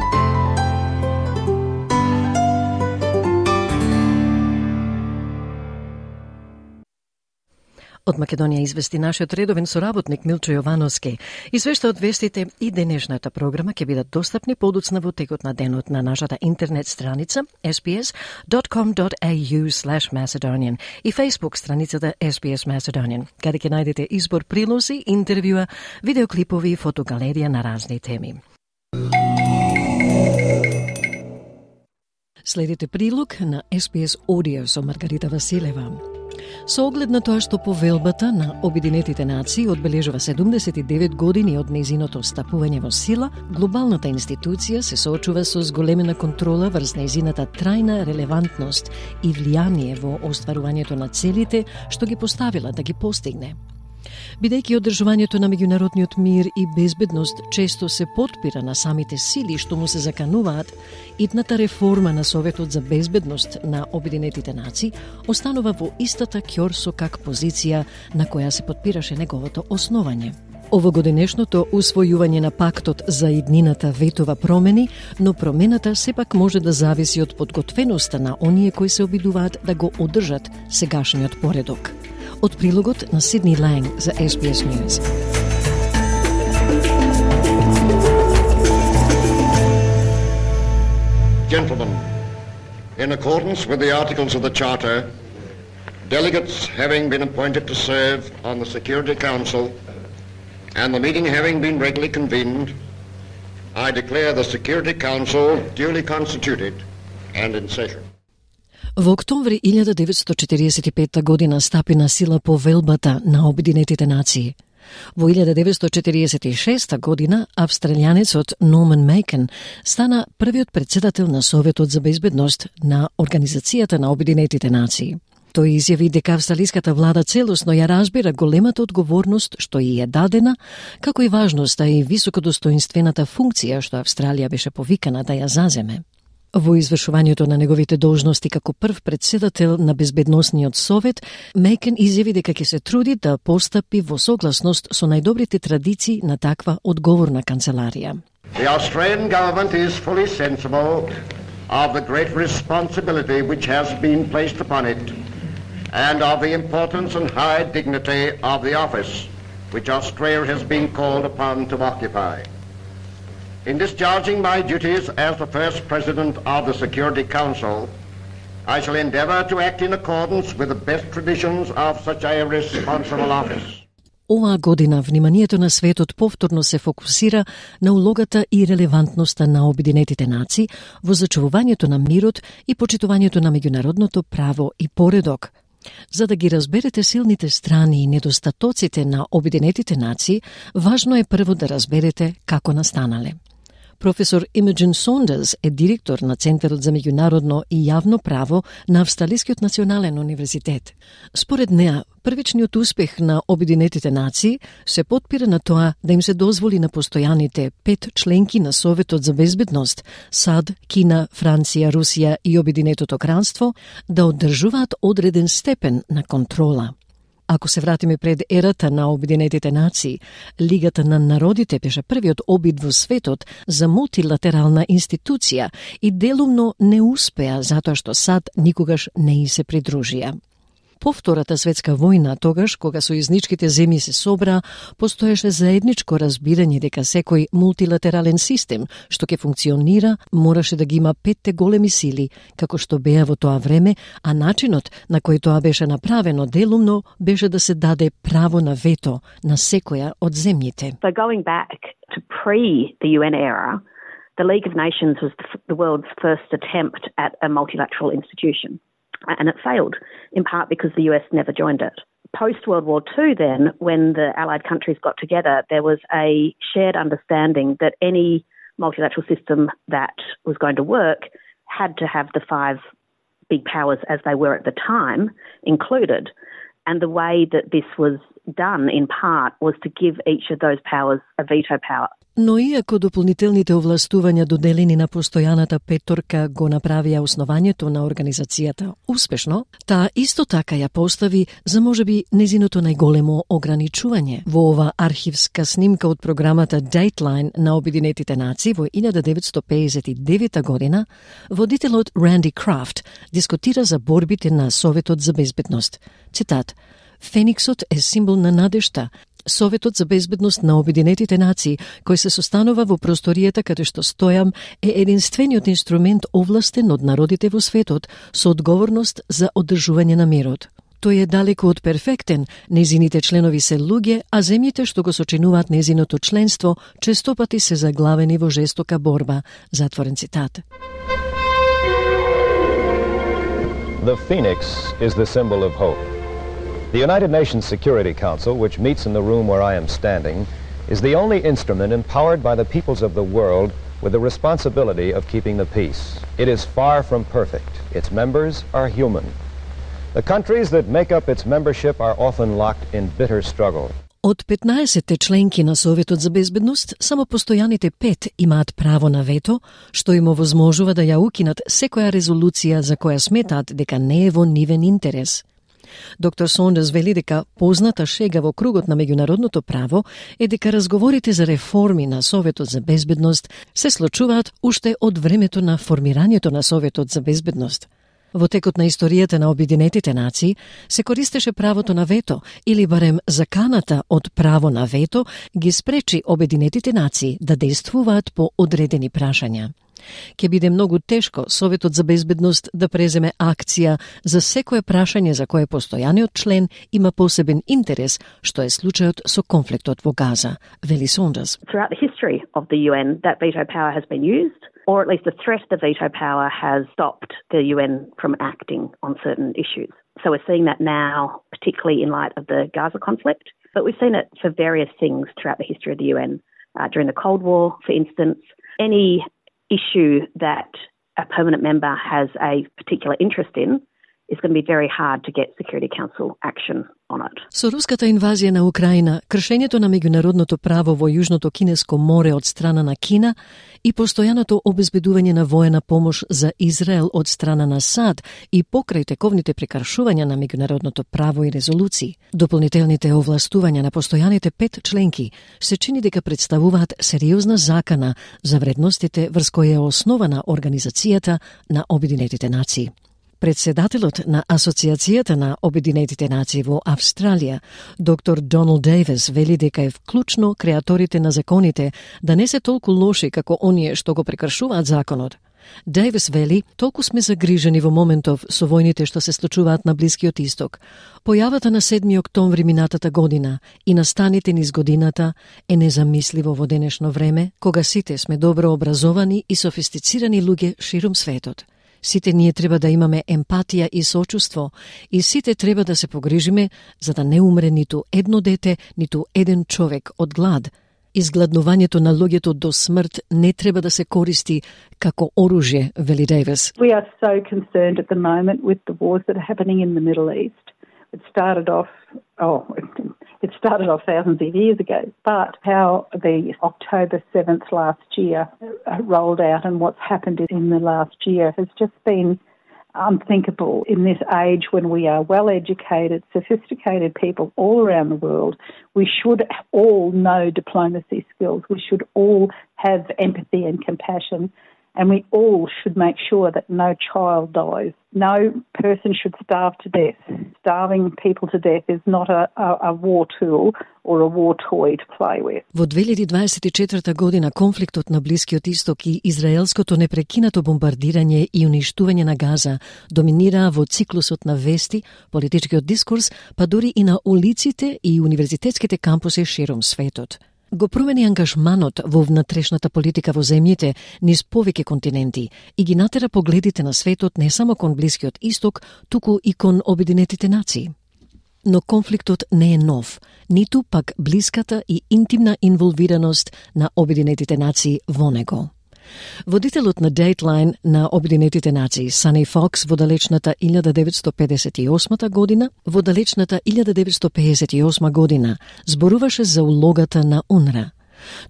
Од Македонија извести нашиот редовен соработник Милчо Јовановски. И све што од вестите и денешната програма ќе бидат достапни подоцна во текот на денот на нашата интернет страница ес би ес dot com dot a u slash Macedonian и Facebook страницата ес би ес Macedonian, каде ќе најдете избор прилози, интервјуа, видеоклипови и фотогалерија на разни теми. Следите прилог на ес би ес Audio со Маргарита Василева. Со оглед на тоа што повелбата на Обединетите нации одбележува седумдесет и девет години од нејзиното стапување во сила, глобалната институција се соочува со зголемена контрола врз нејзината трајна релевантност и влијание во остварувањето на целите што ги поставила да ги постигне. Бидејќи одржувањето на меѓународниот мир и безбедност често се потпира на самите сили што му се закануваат, итната реформа на Советот за безбедност на Обединетите нации останува во истата ќор со как позиција на која се потпираше неговото основање. Овогодинешното усвојување на пактот за иднината ветова промени, но промената сепак може да зависи од подготвеноста на оние кои се обидуваат да го одржат сегашниот поредок. Од прилогот на Сидни Ланг за ес би ес News. Gentlemen, in accordance with the articles of the Charter, delegates having been appointed to serve on the Security Council and the meeting having been regularly convened, I declare the Security Council duly constituted and in session. Во октомври илјада деветстотини четириесет и петта година стапи на сила повелбата на Обединетите нации. Во илјада деветстотини четириесет и шеста година австралијанецот Норман Мејкен стана првиот претседател на Советот за безбедност на Организацијата на Обединетите нации. Тој изјави дека австралиската влада целосно ја разбира големата одговорност што и е дадена, како и важноста и високодостоинствената функција што Австралија беше повикана да ја заземе. Во извршувањето на неговите должности како прв претседател на Безбедносниот совет, Мејкен изјави дека ќе се труди да постапи во согласност со најдобрите традиции на таква одговорна канцеларија. The Australian government is fully sensible of the great responsibility which has been placed upon it and of the importance and high dignity of the office which Australia has been called upon to occupy. In discharging my duties as the first President of the Security Council, I shall endeavour to act in accordance with the best traditions of such a responsible office. Оваа година вниманието на светот повторно се фокусира на улогата и релевантноста на Обединетите нации во зачувувањето на мирот и почитувањето на меѓународното право и поредок. За да ги разберете силните страни и недостатоците на Обединетите нации, важно е прво да разберете како настанале. Професор Имаджин Сондерс е директор на Центарот за меѓународно и јавно право на Австралискиот национален универзитет. Според неа, првичниот успех на Обединетите нации се потпира на тоа да им се дозволи на постојаните пет членки на Советот за безбедност САД, Кина, Франција, Русија и Обединетото кралство да одржуваат одреден степен на контрола. Ако се вратиме пред ерата на Обединетите нации, Лигата на народите беше првиот обид во светот за мултилатерална институција и делумно не успеа затоа што САД никогаш не и се придружија. По Втората светска војна, тогаш кога сојузничките земји се собраа, постоеше заедничко разбирање дека секој мултилатерален систем што ќе функционира мораше да ги има петте големи сили, како што беа во тоа време, а начинот на кој тоа беше направено делумно беше да се даде право на вето на секоја од земјите. So going back to pre the U N era, the League of Nations was the world's first attempt at a multilateral institution. And it failed, in part because the U S never joined it. Post-World War Two then, when the Allied countries got together, there was a shared understanding that any multilateral system that was going to work had to have the five big powers as they were at the time included. And the way that this was done, in part, was to give each of those powers a veto power. Но иако дополнителните овластувања доделени на постојаната петорка го направија основањето на организацијата успешно, таа исто така ја постави за можеби незиното најголемо ограничување. Во ова архивска снимка од програмата Dateline на Обединетите нации во илјада деветстотини педесет и девета година, водителот Ранди Крафт дискутира за борбите на Советот за безбедност. Цитат: Фениксот е символ на надежта. Советот за безбедност на Обединетите нации, кој се состанува во просторијата каде што стојам, е единствениот инструмент овластен од народите во светот со одговорност за одржување на мирот. Тој е далеку од перфектен, незините членови се луѓе, а земјите што го сочинуваат незиното членство честопати се заглавени во жестока борба. Затворен цитат. The phoenix is the symbol of hope. The United Nations Security Council, which meets in the room where I am standing, is the only instrument empowered by the peoples of the world with the responsibility of keeping the peace. It is far from perfect. Its members are human. The countries that make up its membership are often locked in bitter struggle. Од петнаесетте членки на Советот за безбедност, само постојаните пет имаат право на вето, што им овозможува да ја укинат секоја резолуција за која сметаат дека не е во нивен интерес. Доктор Сондерс вели дека позната шега во кругот на меѓународното право е дека разговорите за реформи на Советот за безбедност се случуваат уште од времето на формирањето на Советот за безбедност. Во текот на историјата на Обединетите нации се користеше правото на вето или барем заканата од право на вето ги спречи Обединетите нации да действуваат по одредени прашања. Ке биде многу тешко Советот за безбедност да преземе акција за секое прашање за кое постојаниот член има посебен интерес, што е случајот со конфликтот во Газа, вели Сондерс. Throughout the history of the U N, that veto power has been used, or at least the threat of the veto power has stopped the U N from acting on certain issues. So we're seeing that now, particularly in light of the Gaza conflict, but we've seen it for various things throughout the history of the U N. Uh, during the Cold War, for instance, any issue that a permanent member has a particular interest in is going to be very hard to get Security Council action on it. Со руската инвазија на Украина, кршењето на меѓународното право во Јужното Кинеско море од страна на Кина и постојаното обезбедување на воена помош за Израел од страна на САД и покрај тековните прекршувања на меѓународното право и резолуции, дополнителните овластувања на постојаните пет членки се чини дека представуваат сериозна закана за вредностите врз кои е основана Организацијата на Обединетите нации. Председателот на Асоциацијата на Обединетите нации во Австралија, доктор Доналд Дейвис, вели дека е вклучно креаторите на законите да не се толку лоши како оние што го прекршуваат законот. Дейвис вели, толку сме загрижени во моментов со војните што се случуваат на Блискиот Исток. Појавата на седми октомври минатата година и настаните низ годината е незамисливо во денешно време, кога сите сме добро образовани и софистицирани луѓе широм светот. Сите ние треба да имаме емпатија и сочувство и сите треба да се погрижиме за да не умре ниту едно дете, ниту еден човек од глад. Изгладнувањето на луѓето до смрт не треба да се користи како оружје, вели Дейвис. We are so concerned at the moment with the wars that are happening in the Middle East. It started off, oh, it started off thousands of years ago, but how the October seventh last year rolled out and what's happened in the last year has just been unthinkable in this age when we are well-educated, sophisticated people all around the world. We should all know diplomacy skills. We should all have empathy and compassion. And we all should make sure that no child dies. No person should starve to death. Starving people to death is not a, a, a war tool or a war toy to play with. Во две илјади дваесет и четврта година конфликтот на Блискиот Исток и израелското непрекинато бомбардирање и уништување на Газа доминираа во циклусот на вести, политичкиот дискурс, па дури и на улиците и универзитетските кампуси широм светот. Го промени ангажманот во внатрешната политика во земјите низ повеќе континенти и ги натера погледите на светот не само кон Блискиот Исток, туку и кон Обединетите нации. Но конфликтот не е нов, ниту пак блиската и интимна инволвираност на Обединетите нации во него. Водителот на Dateline на Обединетите нации, Сани Фокс, во далечната илјада деветсто педесет и осма година, во далечната илјада деветсто пеесет и осма година, зборуваше за улогата на УНРА.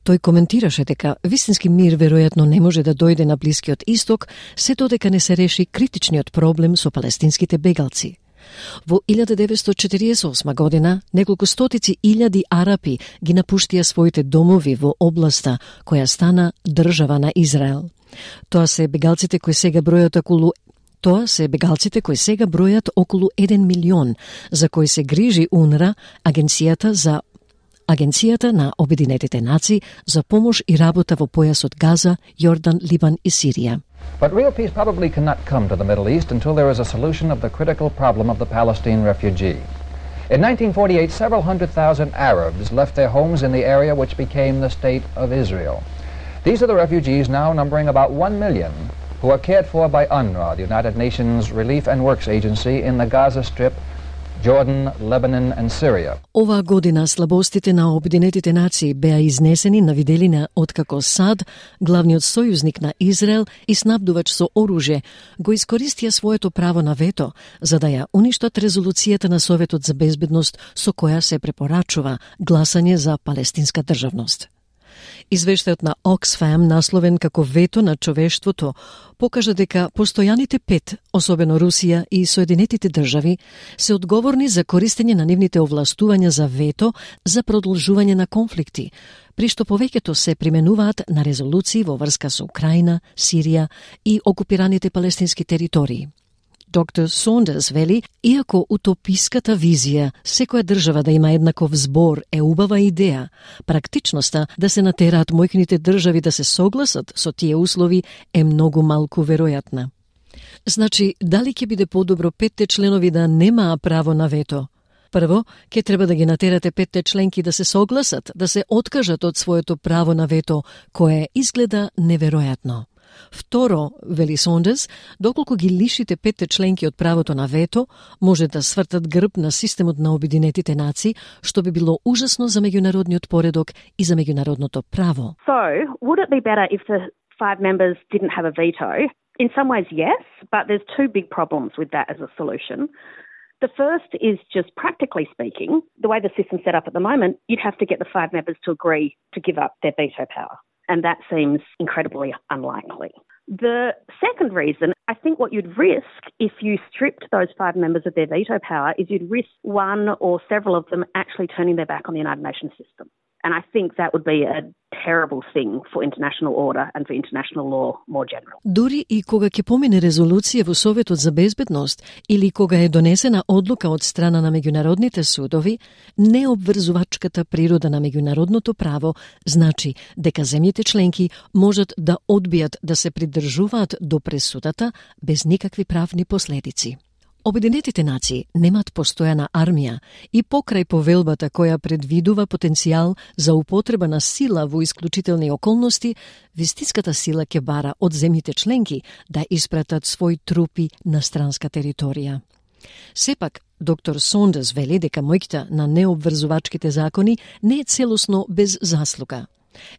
Тој коментираше дека вистински мир веројатно не може да дојде на Блискиот Исток, се додека не се реши критичниот проблем со палестинските бегалци. Во илјада деветсто четириесет и осма година, неколку стотици илјади арапи ги напуштија своите домови во областа која стана држава на Израел. Тоа се бегалците кои сега бројат околу Тоа се бегалците кои сега бројат околу еден милион, за кои се грижи УНРА, агенцијата за Агенцијата на Обединетите нации за помош и работа во појасот Газа, Јордан, Либан и Сирија. But real peace probably cannot come to the Middle East until there is a solution of the critical problem of the Palestine refugee. In nineteen forty-eight, several hundred thousand Arabs left their homes in the area which became the State of Israel. These are the refugees now numbering about one million who are cared for by UNRWA, the United Nations Relief and Works Agency in the Gaza Strip, Jordan, Lebanon and Syria. Оваа година слабостите на Обединетите нации беа изнесени на виделина откако САД, главниот сојузник на Израел и снабдувач со оружје, го искористија своето право на вето за да ја уништат резолуцијата на Советот за безбедност со која се препорачува гласање за палестинска државност. Извештајот на Оксфам, насловен како вето на човештвото, покажа дека постојаните пет, особено Русија и Соединетите држави, се одговорни за користење на нивните овластувања за вето за продолжување на конфликти, при што повеќето се применуваат на резолуции во врска со Украина, Сирија и окупираните палестински територии. Доктор Сондерс вели, иако утописката визија секоја држава да има еднаков збор е убава идеја, практичноста да се натераат мојкните држави да се согласат со тие услови е многу малку веројатна. Значи, дали ќе биде подобро петте членови да немаа право на вето? Прво, ќе треба да ги натерате петте членки да се согласат, да се откажат од своето право на вето, кое изгледа неверојатно. Второ, вели Сондерс, доколку ги лишите петте членки од правото на вето, може да свртат грб на системот на Обединетите нации, што би било ужасно за меѓународниот поредок и за меѓународното право. So, would it be better if the five members didn't have a veto? In some ways, yes, but there's two big problems with that as a solution. The first is just practically speaking, the way the system's set up at the moment, you'd have to get the five members to agree to give up their veto power. And that seems incredibly unlikely. The second reason, I think what you'd risk if you stripped those five members of their veto power is you'd risk one or several of them actually turning their back on the United Nations system. And I think that would be a terrible thing for international order and for international law more generally. Дури и кога ќе помине резолуција во Советот за безбедност или кога е донесена одлука од страна на меѓународните судови, необврзувачката природа на меѓународното право значи дека земјите членки можат да одбијат да се придржуваат до пресудата без никакви правни последици. Обединетите нации немат постојана армија и покрај повелбата која предвидува потенцијал за употреба на сила во исклучителни околности, вистинската сила ќе бара од земјите членки да испратат своји трупи на странска територија. Сепак, доктор Сондерс вели дека моќта на необврзувачките закони не е целосно без заслуга.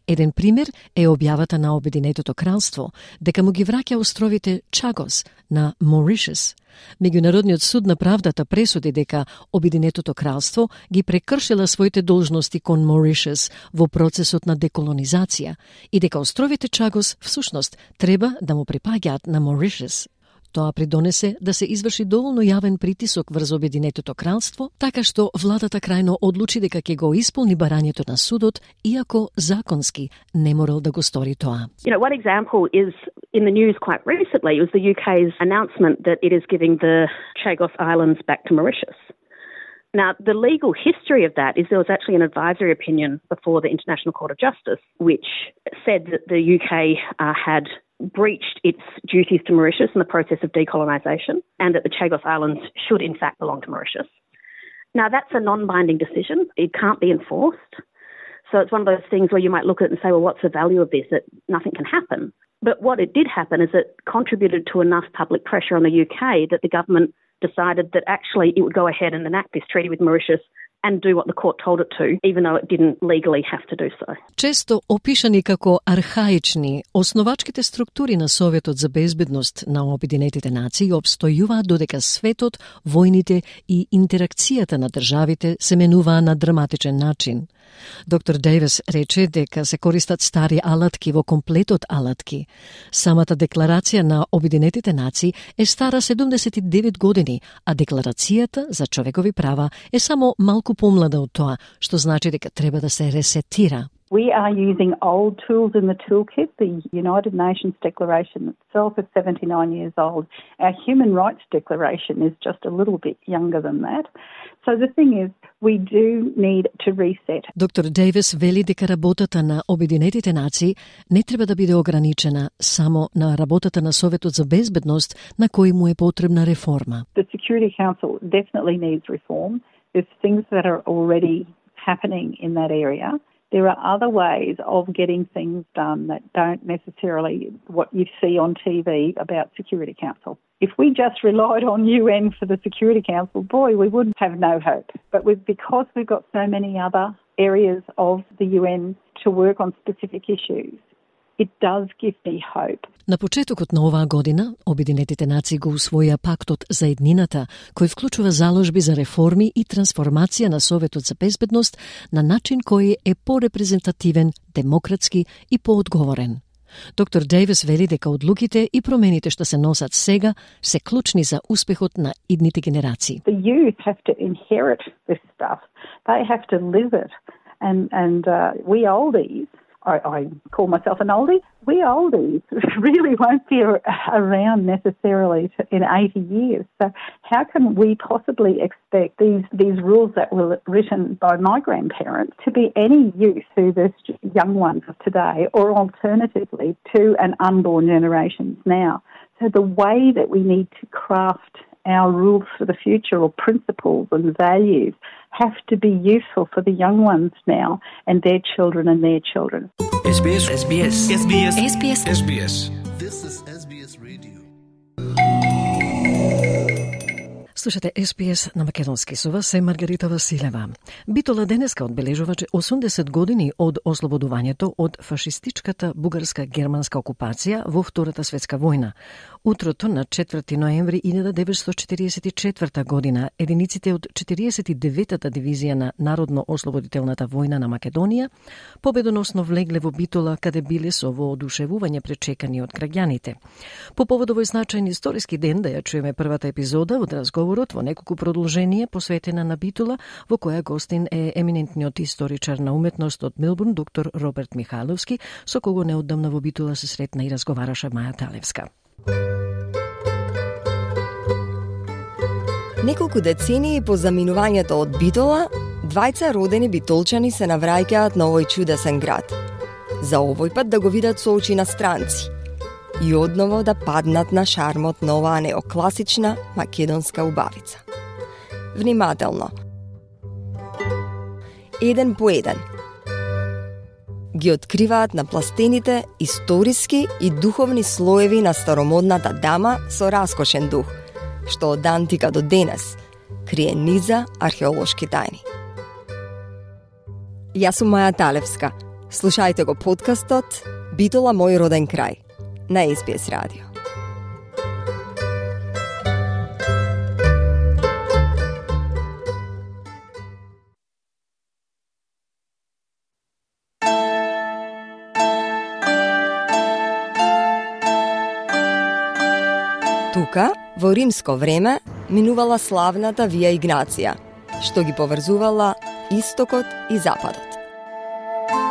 Еден пример е објавата на Обединетото кралство дека му ги враќа островите Чагос на Моришес. Меѓународниот суд на правдата пресуди дека Обединетото кралство ги прекршила своите должности кон Моришес во процесот на деколонизација и дека островите Чагос всушност треба да му припаѓаат на Моришес. Тоа придонесе да се изврши доволно јавен притисок врз Обединетото кралство, така што владата крајно одлучи дека ќе го исполни барањето на судот, иако законски не морал да го стори тоа. You know, one example is in the news quite recently was the U K's announcement that it is giving the Chagos Islands back to Mauritius. Now, the legal history of that is there was actually an advisory opinion before the International Court of Justice, which said that the U K uh, had breached its duties to Mauritius in the process of decolonisation and that the Chagos Islands should in fact belong to Mauritius. Now, that's a non-binding decision. It can't be enforced. So it's one of those things where you might look at it and say, well, what's the value of this? That nothing can happen. But what it did happen is it contributed to enough public pressure on the U K that the government decided that actually it would go ahead and enact this treaty with Mauritius and do what the court told it to, even though it didn't legally have to do so. Често опишани како архаични, основачките структури на Советот за безбедност на Обединетите нации обстојуваат додека светот, војните и интеракцијата на државите се менуваа на драматичен начин. Доктор Дейвис рече дека се користат стари алатки во комплетот алатки. Самата декларација на Обединетите нации е стара седумдесет и девет години, а декларацијата за човекови права е само малку помлада од тоа, што значи дека треба да се ресетира. We are using old tools in the toolkit. The United Nations Declaration itself is seventy-nine years old. Our Human Rights Declaration is just a little bit younger than that. So the thing is, we do need to reset. Доктор Дейвис вели дека работата на Обединетите нации не треба да биде ограничена само на работата на Советот за безбедност, на кој му е потребна реформа. The Security Council definitely needs reform. There's things that are already happening in that area. There are other ways of getting things done that don't necessarily what you see on T V about Security Council. If we just relied on U N for the Security Council, boy, we would have no hope. But with, because we've got so many other areas of the U N to work on specific issues, it does give me hope. На почетокот на оваа година, Обединетите нации го усвоија пактот за еднината, кој вклучува заложби за реформи и трансформација на Советот за безбедност на начин кој е порепрезентативен, демократски и поодговорен. Доктор Дейвис вели дека одлуките и промените што се носат сега се клучни за успехот на идните генерации. The youth have to inherit this stuff. They have to live it. And, and uh, we oldies, I, I call myself an oldie, we oldies really won't be around necessarily to, in eighty years. So how can we possibly expect these, these rules that were written by my grandparents to be any use to the young ones of today, or alternatively to an unborn generations now? So the way that we need to craft our rules for the future, or principles and values, have to be useful for the young ones now and their children and their children. S B S S B S S B S S B S S B S This is S B S Radio. Слушате Ес Би Ес на македонски, со вас е Маргарита Василева. Битола денеска одбележува осумдесет години од ослободувањето од фашистичката бугарска-германска окупација во Втората светска војна. Утрото на четврти ноември илјада деветстотини четиридесет и четврта година единиците од четиридесет и деветата дивизија на Народно-ослободителната војна на Македонија победоносно влегле во Битола, каде биле со воодушевување пречекани од граѓаните. По повод овој значајен историски ден да ја чуеме првата епизода од разговор во неколку продолжение посветена на Битола, во која гостин е еминентниот историчар на уметност од Мелбурн, доктор Роберт Михайловски, со кого неодамна во Битола се сретна и разговараше Маја Талевска. Неколку децении по заминувањето од Битола, двајца родени битолчани се навраќаат на овој чудесен град. За овој пат да го видат со очи на странци и одново да паднат на шармот на оваа неокласична македонска убавица. Внимателно. Еден по еден. Ги откриваат на пластените историски и духовни слоеви на старомодната дама со раскошен дух, што од антика до денес крие низа археолошки тајни. Јас сум Маја Талевска. Слушајте го подкастот Битола, мој роден крај на Ес Би Ес радио. Тука, во римско време, минувала славната Вија Игнација, што ги поврзувала истокот и западот.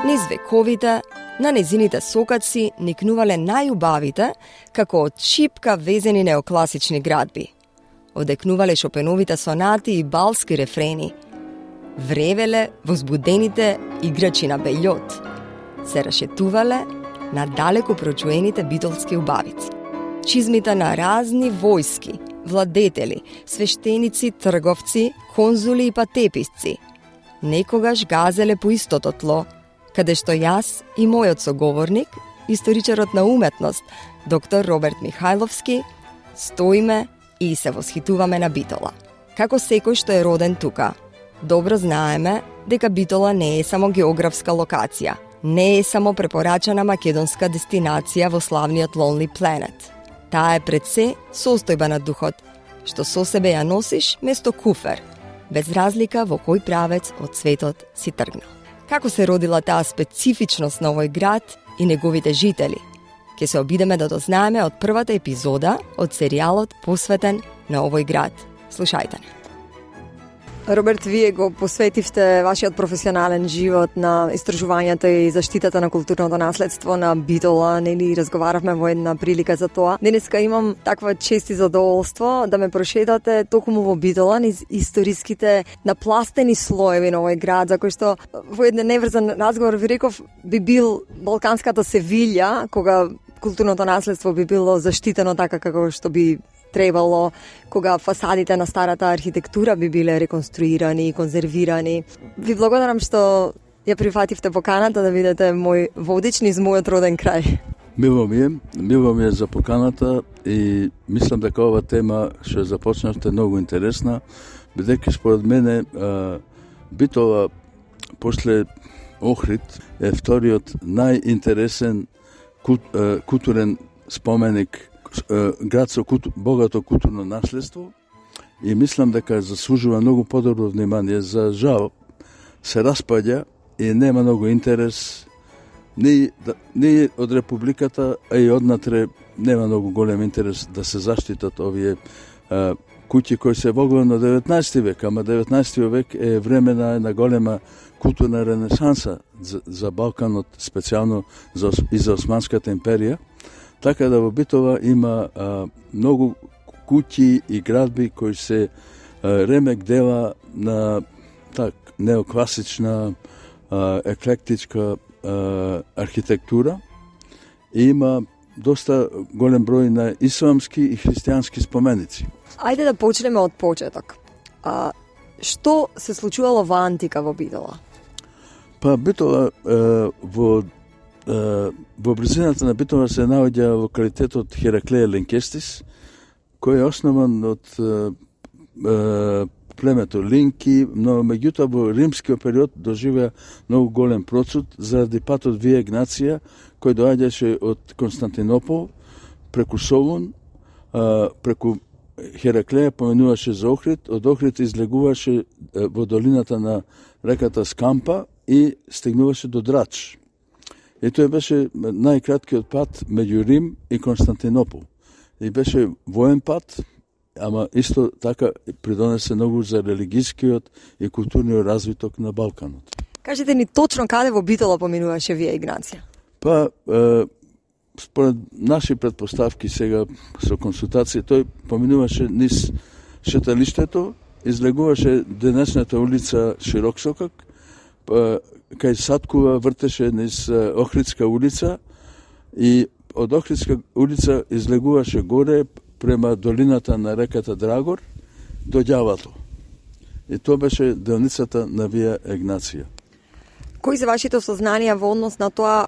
Низ вековите, на незините сокаци никнувале најубавите, како од шипка везени неокласични градби. Одекнувале Шопеновите сонати и балски рефрени. Вревеле возбудените играчи на бељот. Се рашетувале на далеко прочуените битолски убавици. Чизмите на разни војски, владетели, свештеници, трговци, конзули и патеписци. Некогаш газеле по истото тло, каде што јас и мојот соговорник, историчарот на уметност, доктор Роберт Михайловски, стоиме и се восхитуваме на Битола. Како секој што е роден тука, добро знаеме дека Битола не е само географска локација, не е само препорачана македонска дестинација во славниот Lonely Planet. Таа е пред се состојба на духот, што со себе ја носиш место куфер, без разлика во кој правец од светот си тргнал. Како се родила таа специфичност на овој град и неговите жители? Ке се обидеме да дознаеме од првата епизода од серијалот посветен на овој град. Слушајте не. Роберт, вие го посветивте вашиот професионален живот на истражувањата и заштитата на културното наследство на Битола, нели разговаравме во една прилика за тоа. Денеска имам таква чест и задоволство да ме прошетате токму во Битола низ историските напластени слоеви на овој град, за кој што во еден неврзан разговор ви реков би бил балканската Севилја, кога културното наследство би било заштитено така како што би требало, кога фасадите на старата архитектура би биле реконструирани и конзервирани. Ви благодарам што ја прифативте поканата да видите мој водич низ мојот роден крај. Мило ми е, мило ми е за поканата и мислам дека ова тема што започнавте многу интересна, бидејќи според мене а, Битола после Охрид е вториот најинтересен култ, а, културен споменик, град со култу, богато културно наследство и мислам дека заслужува многу подобро внимание. За жал се распаѓа и нема многу интерес ни, ни од Републиката, а и однатре нема многу голем интерес да се заштитат овие а, куќи кои се во на деветнаесети век, ама деветнаесети век е време на една голема културна ренесанса за, за Балканот, специјално за, и за Османската империја. Така да во Битола има а, многу куќи и градби кои се а, ремек дела на так неокласична, а, еклектичка а, архитектура и има доста голем број на исламски и христијански споменици. Ајде да почнеме од почеток. А, што се случувало во антика во Битола? Па Битола а, во во близината на Битола се наоѓа локалитетот Хераклеја Линкестис, кој е основан од е, е, племето Линки, но меѓутоа во римскиот период доживеа многу голем процут заради патот Вија Игнација, кој доаѓаше од Константинопол преку Солун, е, преку Хераклеја поминуваше за Охрид, од Охрид излегуваше е, во долината на реката Скампа и стигнуваше до Драч. И тој беше најкраткиот пат меѓу Рим и Константинопол. И беше воен пат, ама исто така придонесе многу за религискиот и културниот развиток на Балканот. Кажете ни точно каде во Битола поминуваше Вија Игнација? Па, е, според наши предпоставки сега со консултација, тој поминуваше низ шеталиштето, излегуваше денешната улица Широксокак, па, кај Саткува вртеше низ Охридска улица и од Охридска улица излегуваше горе према долината на реката Драгор до ѓавато. И тоа беше делницата на Вија Игнација. Кои се вашите сознанија во однос на тоа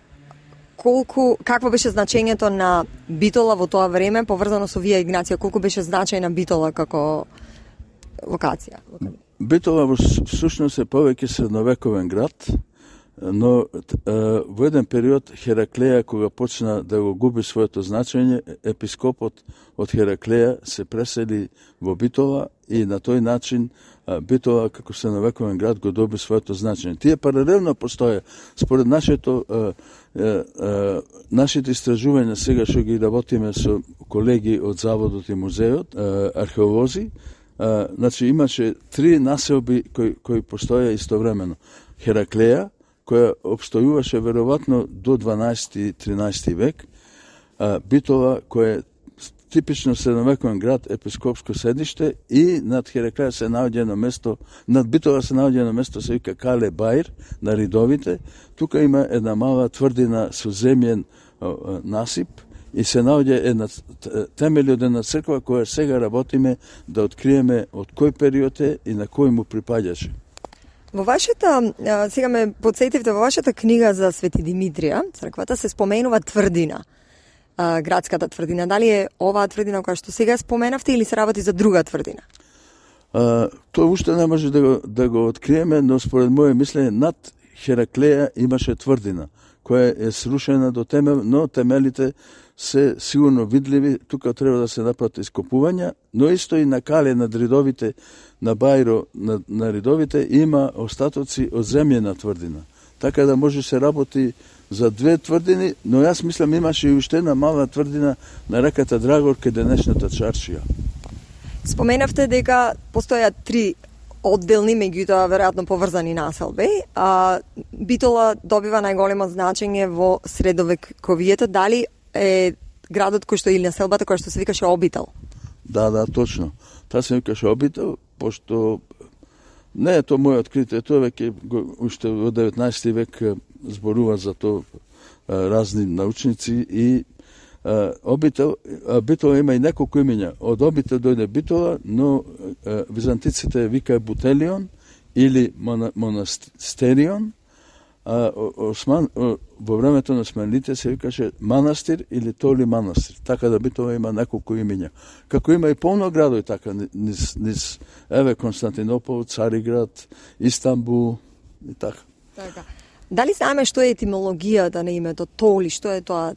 колку, какво беше значењето на Битола во тоа време поврзано со Вија Игнација, колку беше значајна Битола како локација? Битола во сушност е повеќе средновековен град, но е, во еден период Хераклеја, кога почна да го губи своето значење, епископот од Хераклеја се пресели во Битола и на тој начин е, Битола како средновековен град го доби своето значење. Тие паралелно постоја. Според нашето е, е, е, нашите истражувања сега што ги работиме со колеги од Заводот и музеот, е, археолози, Uh, значи имаше три населби кои, кои постоја истовремено. Хераклеја, која обстојуваше веројатно до дванаесети-тринаесети век, uh, Битола, која е типично средновековен град, епископско седиште, и над Хераклеја се наоѓа едно место, над Битола се наоѓа едно место, се вика Кале Баир, на Ридовите. Тука има една мала тврдина со земјен uh, насип, и се наоѓа една темели од една црква која сега работиме да откриеме од кој период е и на кој му припаѓаше. Во вашата, сега ме подсетивте, во вашата книга за Свети Димитрија, црквата, се споменува тврдина, градската тврдина. Дали е оваа тврдина која што сега споменавте или се работи за друга тврдина? А, тоа уште не може да го, да го откриеме, но според моје мислење над Хераклеја имаше тврдина која е срушена до темел, но темелите се сигурно видливи. Тука треба да се направат ископувања, но исто и на Кале, на Ридовите, на Бајро, на, на Ридовите има остатоци од земјена тврдина. Така да може се работи за две тврдини, но јас мислам имаше и уште една мала тврдина на реката Драгор кај денешната Чаршија. Споменавте дека постојат три одделни, меѓутоа веројатно поврзани населби. А, Битола добива најголемо значење во средовековието. Дали е градот кој што или населбата која што се викаше Обител? Да, да, точно. Таа се викаше Обител, пошто не е тоа моје откритие, тоа веќе уште во деветнаесети век зборува за тоа разни научници и а, Обител, а, Битола има и неколку имења. Од Обител дојде Битола, но а, византиците вика Бутелион или Монастерион, а Осман, во времето на османлите се викаше манастир или толи манастир. Така да Битола има неколку имења. Како има и полно градови така, низ, низ еве Константинопол, Цариград, Истанбул и така. Така. Дали знаеме што е етимологијата на името Толи, што е тоа?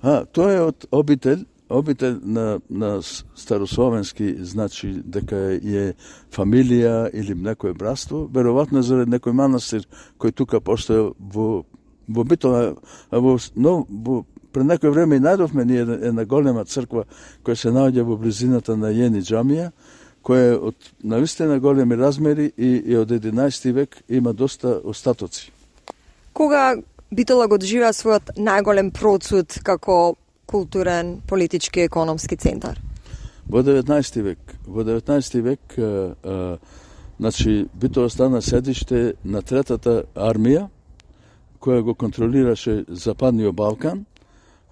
А, тоа е од обител, обител на, на старословенски, значи дека е фамилија или некое братство, веројатно заради некој манастир кој тука постоел во во Битола, а во, но, во пред некој време и најдовме ние една голема црква која се наоѓа во близината на Јени џамија, која е од навистина големи размери и, и од единаесети век има доста остатоци. Кога Битола го доживеа својот најголем процут како културен, политички, економски центар? Во деветнаесети век. Во деветнаесети век а, а, значи Битола стана седиште на третата армија која го контролираше Западниот Балкан,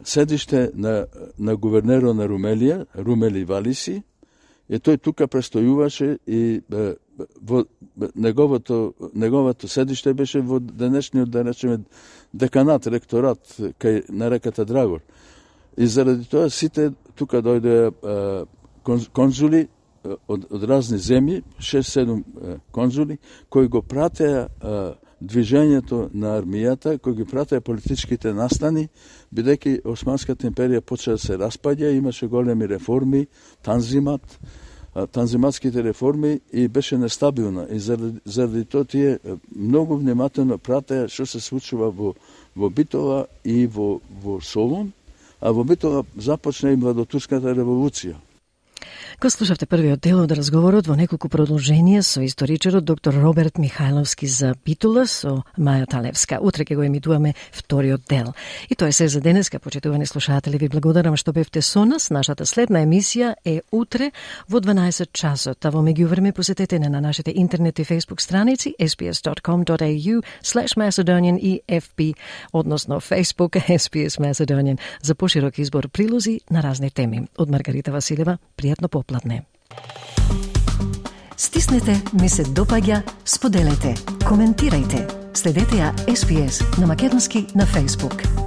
седиште на, на гувернерот на Румелија, Румели Валиси, и тој тука престојуваше и а, во неговото неговото седиште беше во денешниот, да речеме, деканат, ректорат кај на реката Драгор. И заради тоа сите тука дојде конзули од, од разни земји, шест-седум конзули, кои го пратеа а, движењето на армијата, кои ги пратеа политичките настани, бидејќи Османската империја почна да се распаѓа, имаше големи реформи, танзимат, танзиматските реформи и беше нестабилна. И заради, заради тоа тие многу внимателно пратеа што се случува во, во Битола и во, во Солун, а во Битола започна и младотурската револуција. Го слушавте првиот дел од разговорот во неколку продолженија со историчарот доктор Роберт Михајловски за Битола со Маја Талевска. Утре ќе го емитуваме вториот дел. И тоа е се за денеска, почитувани слушатели. Ви благодарам што бевте со нас. Нашата следна емисија е утре во дванаесет часот. А во меѓувреме посетете на нашите интернет и фейсбук страници ес би ес dot com dot a u slash Macedonian и еф би, односно Facebook ес би ес Macedonian, за поширок избор прилози на разни теми. Од Маргарита Василева, пријатно попладне. Стиснете, ми се допаѓа, споделете, коментирајте. Следете ја ес би ес на македонски на Facebook.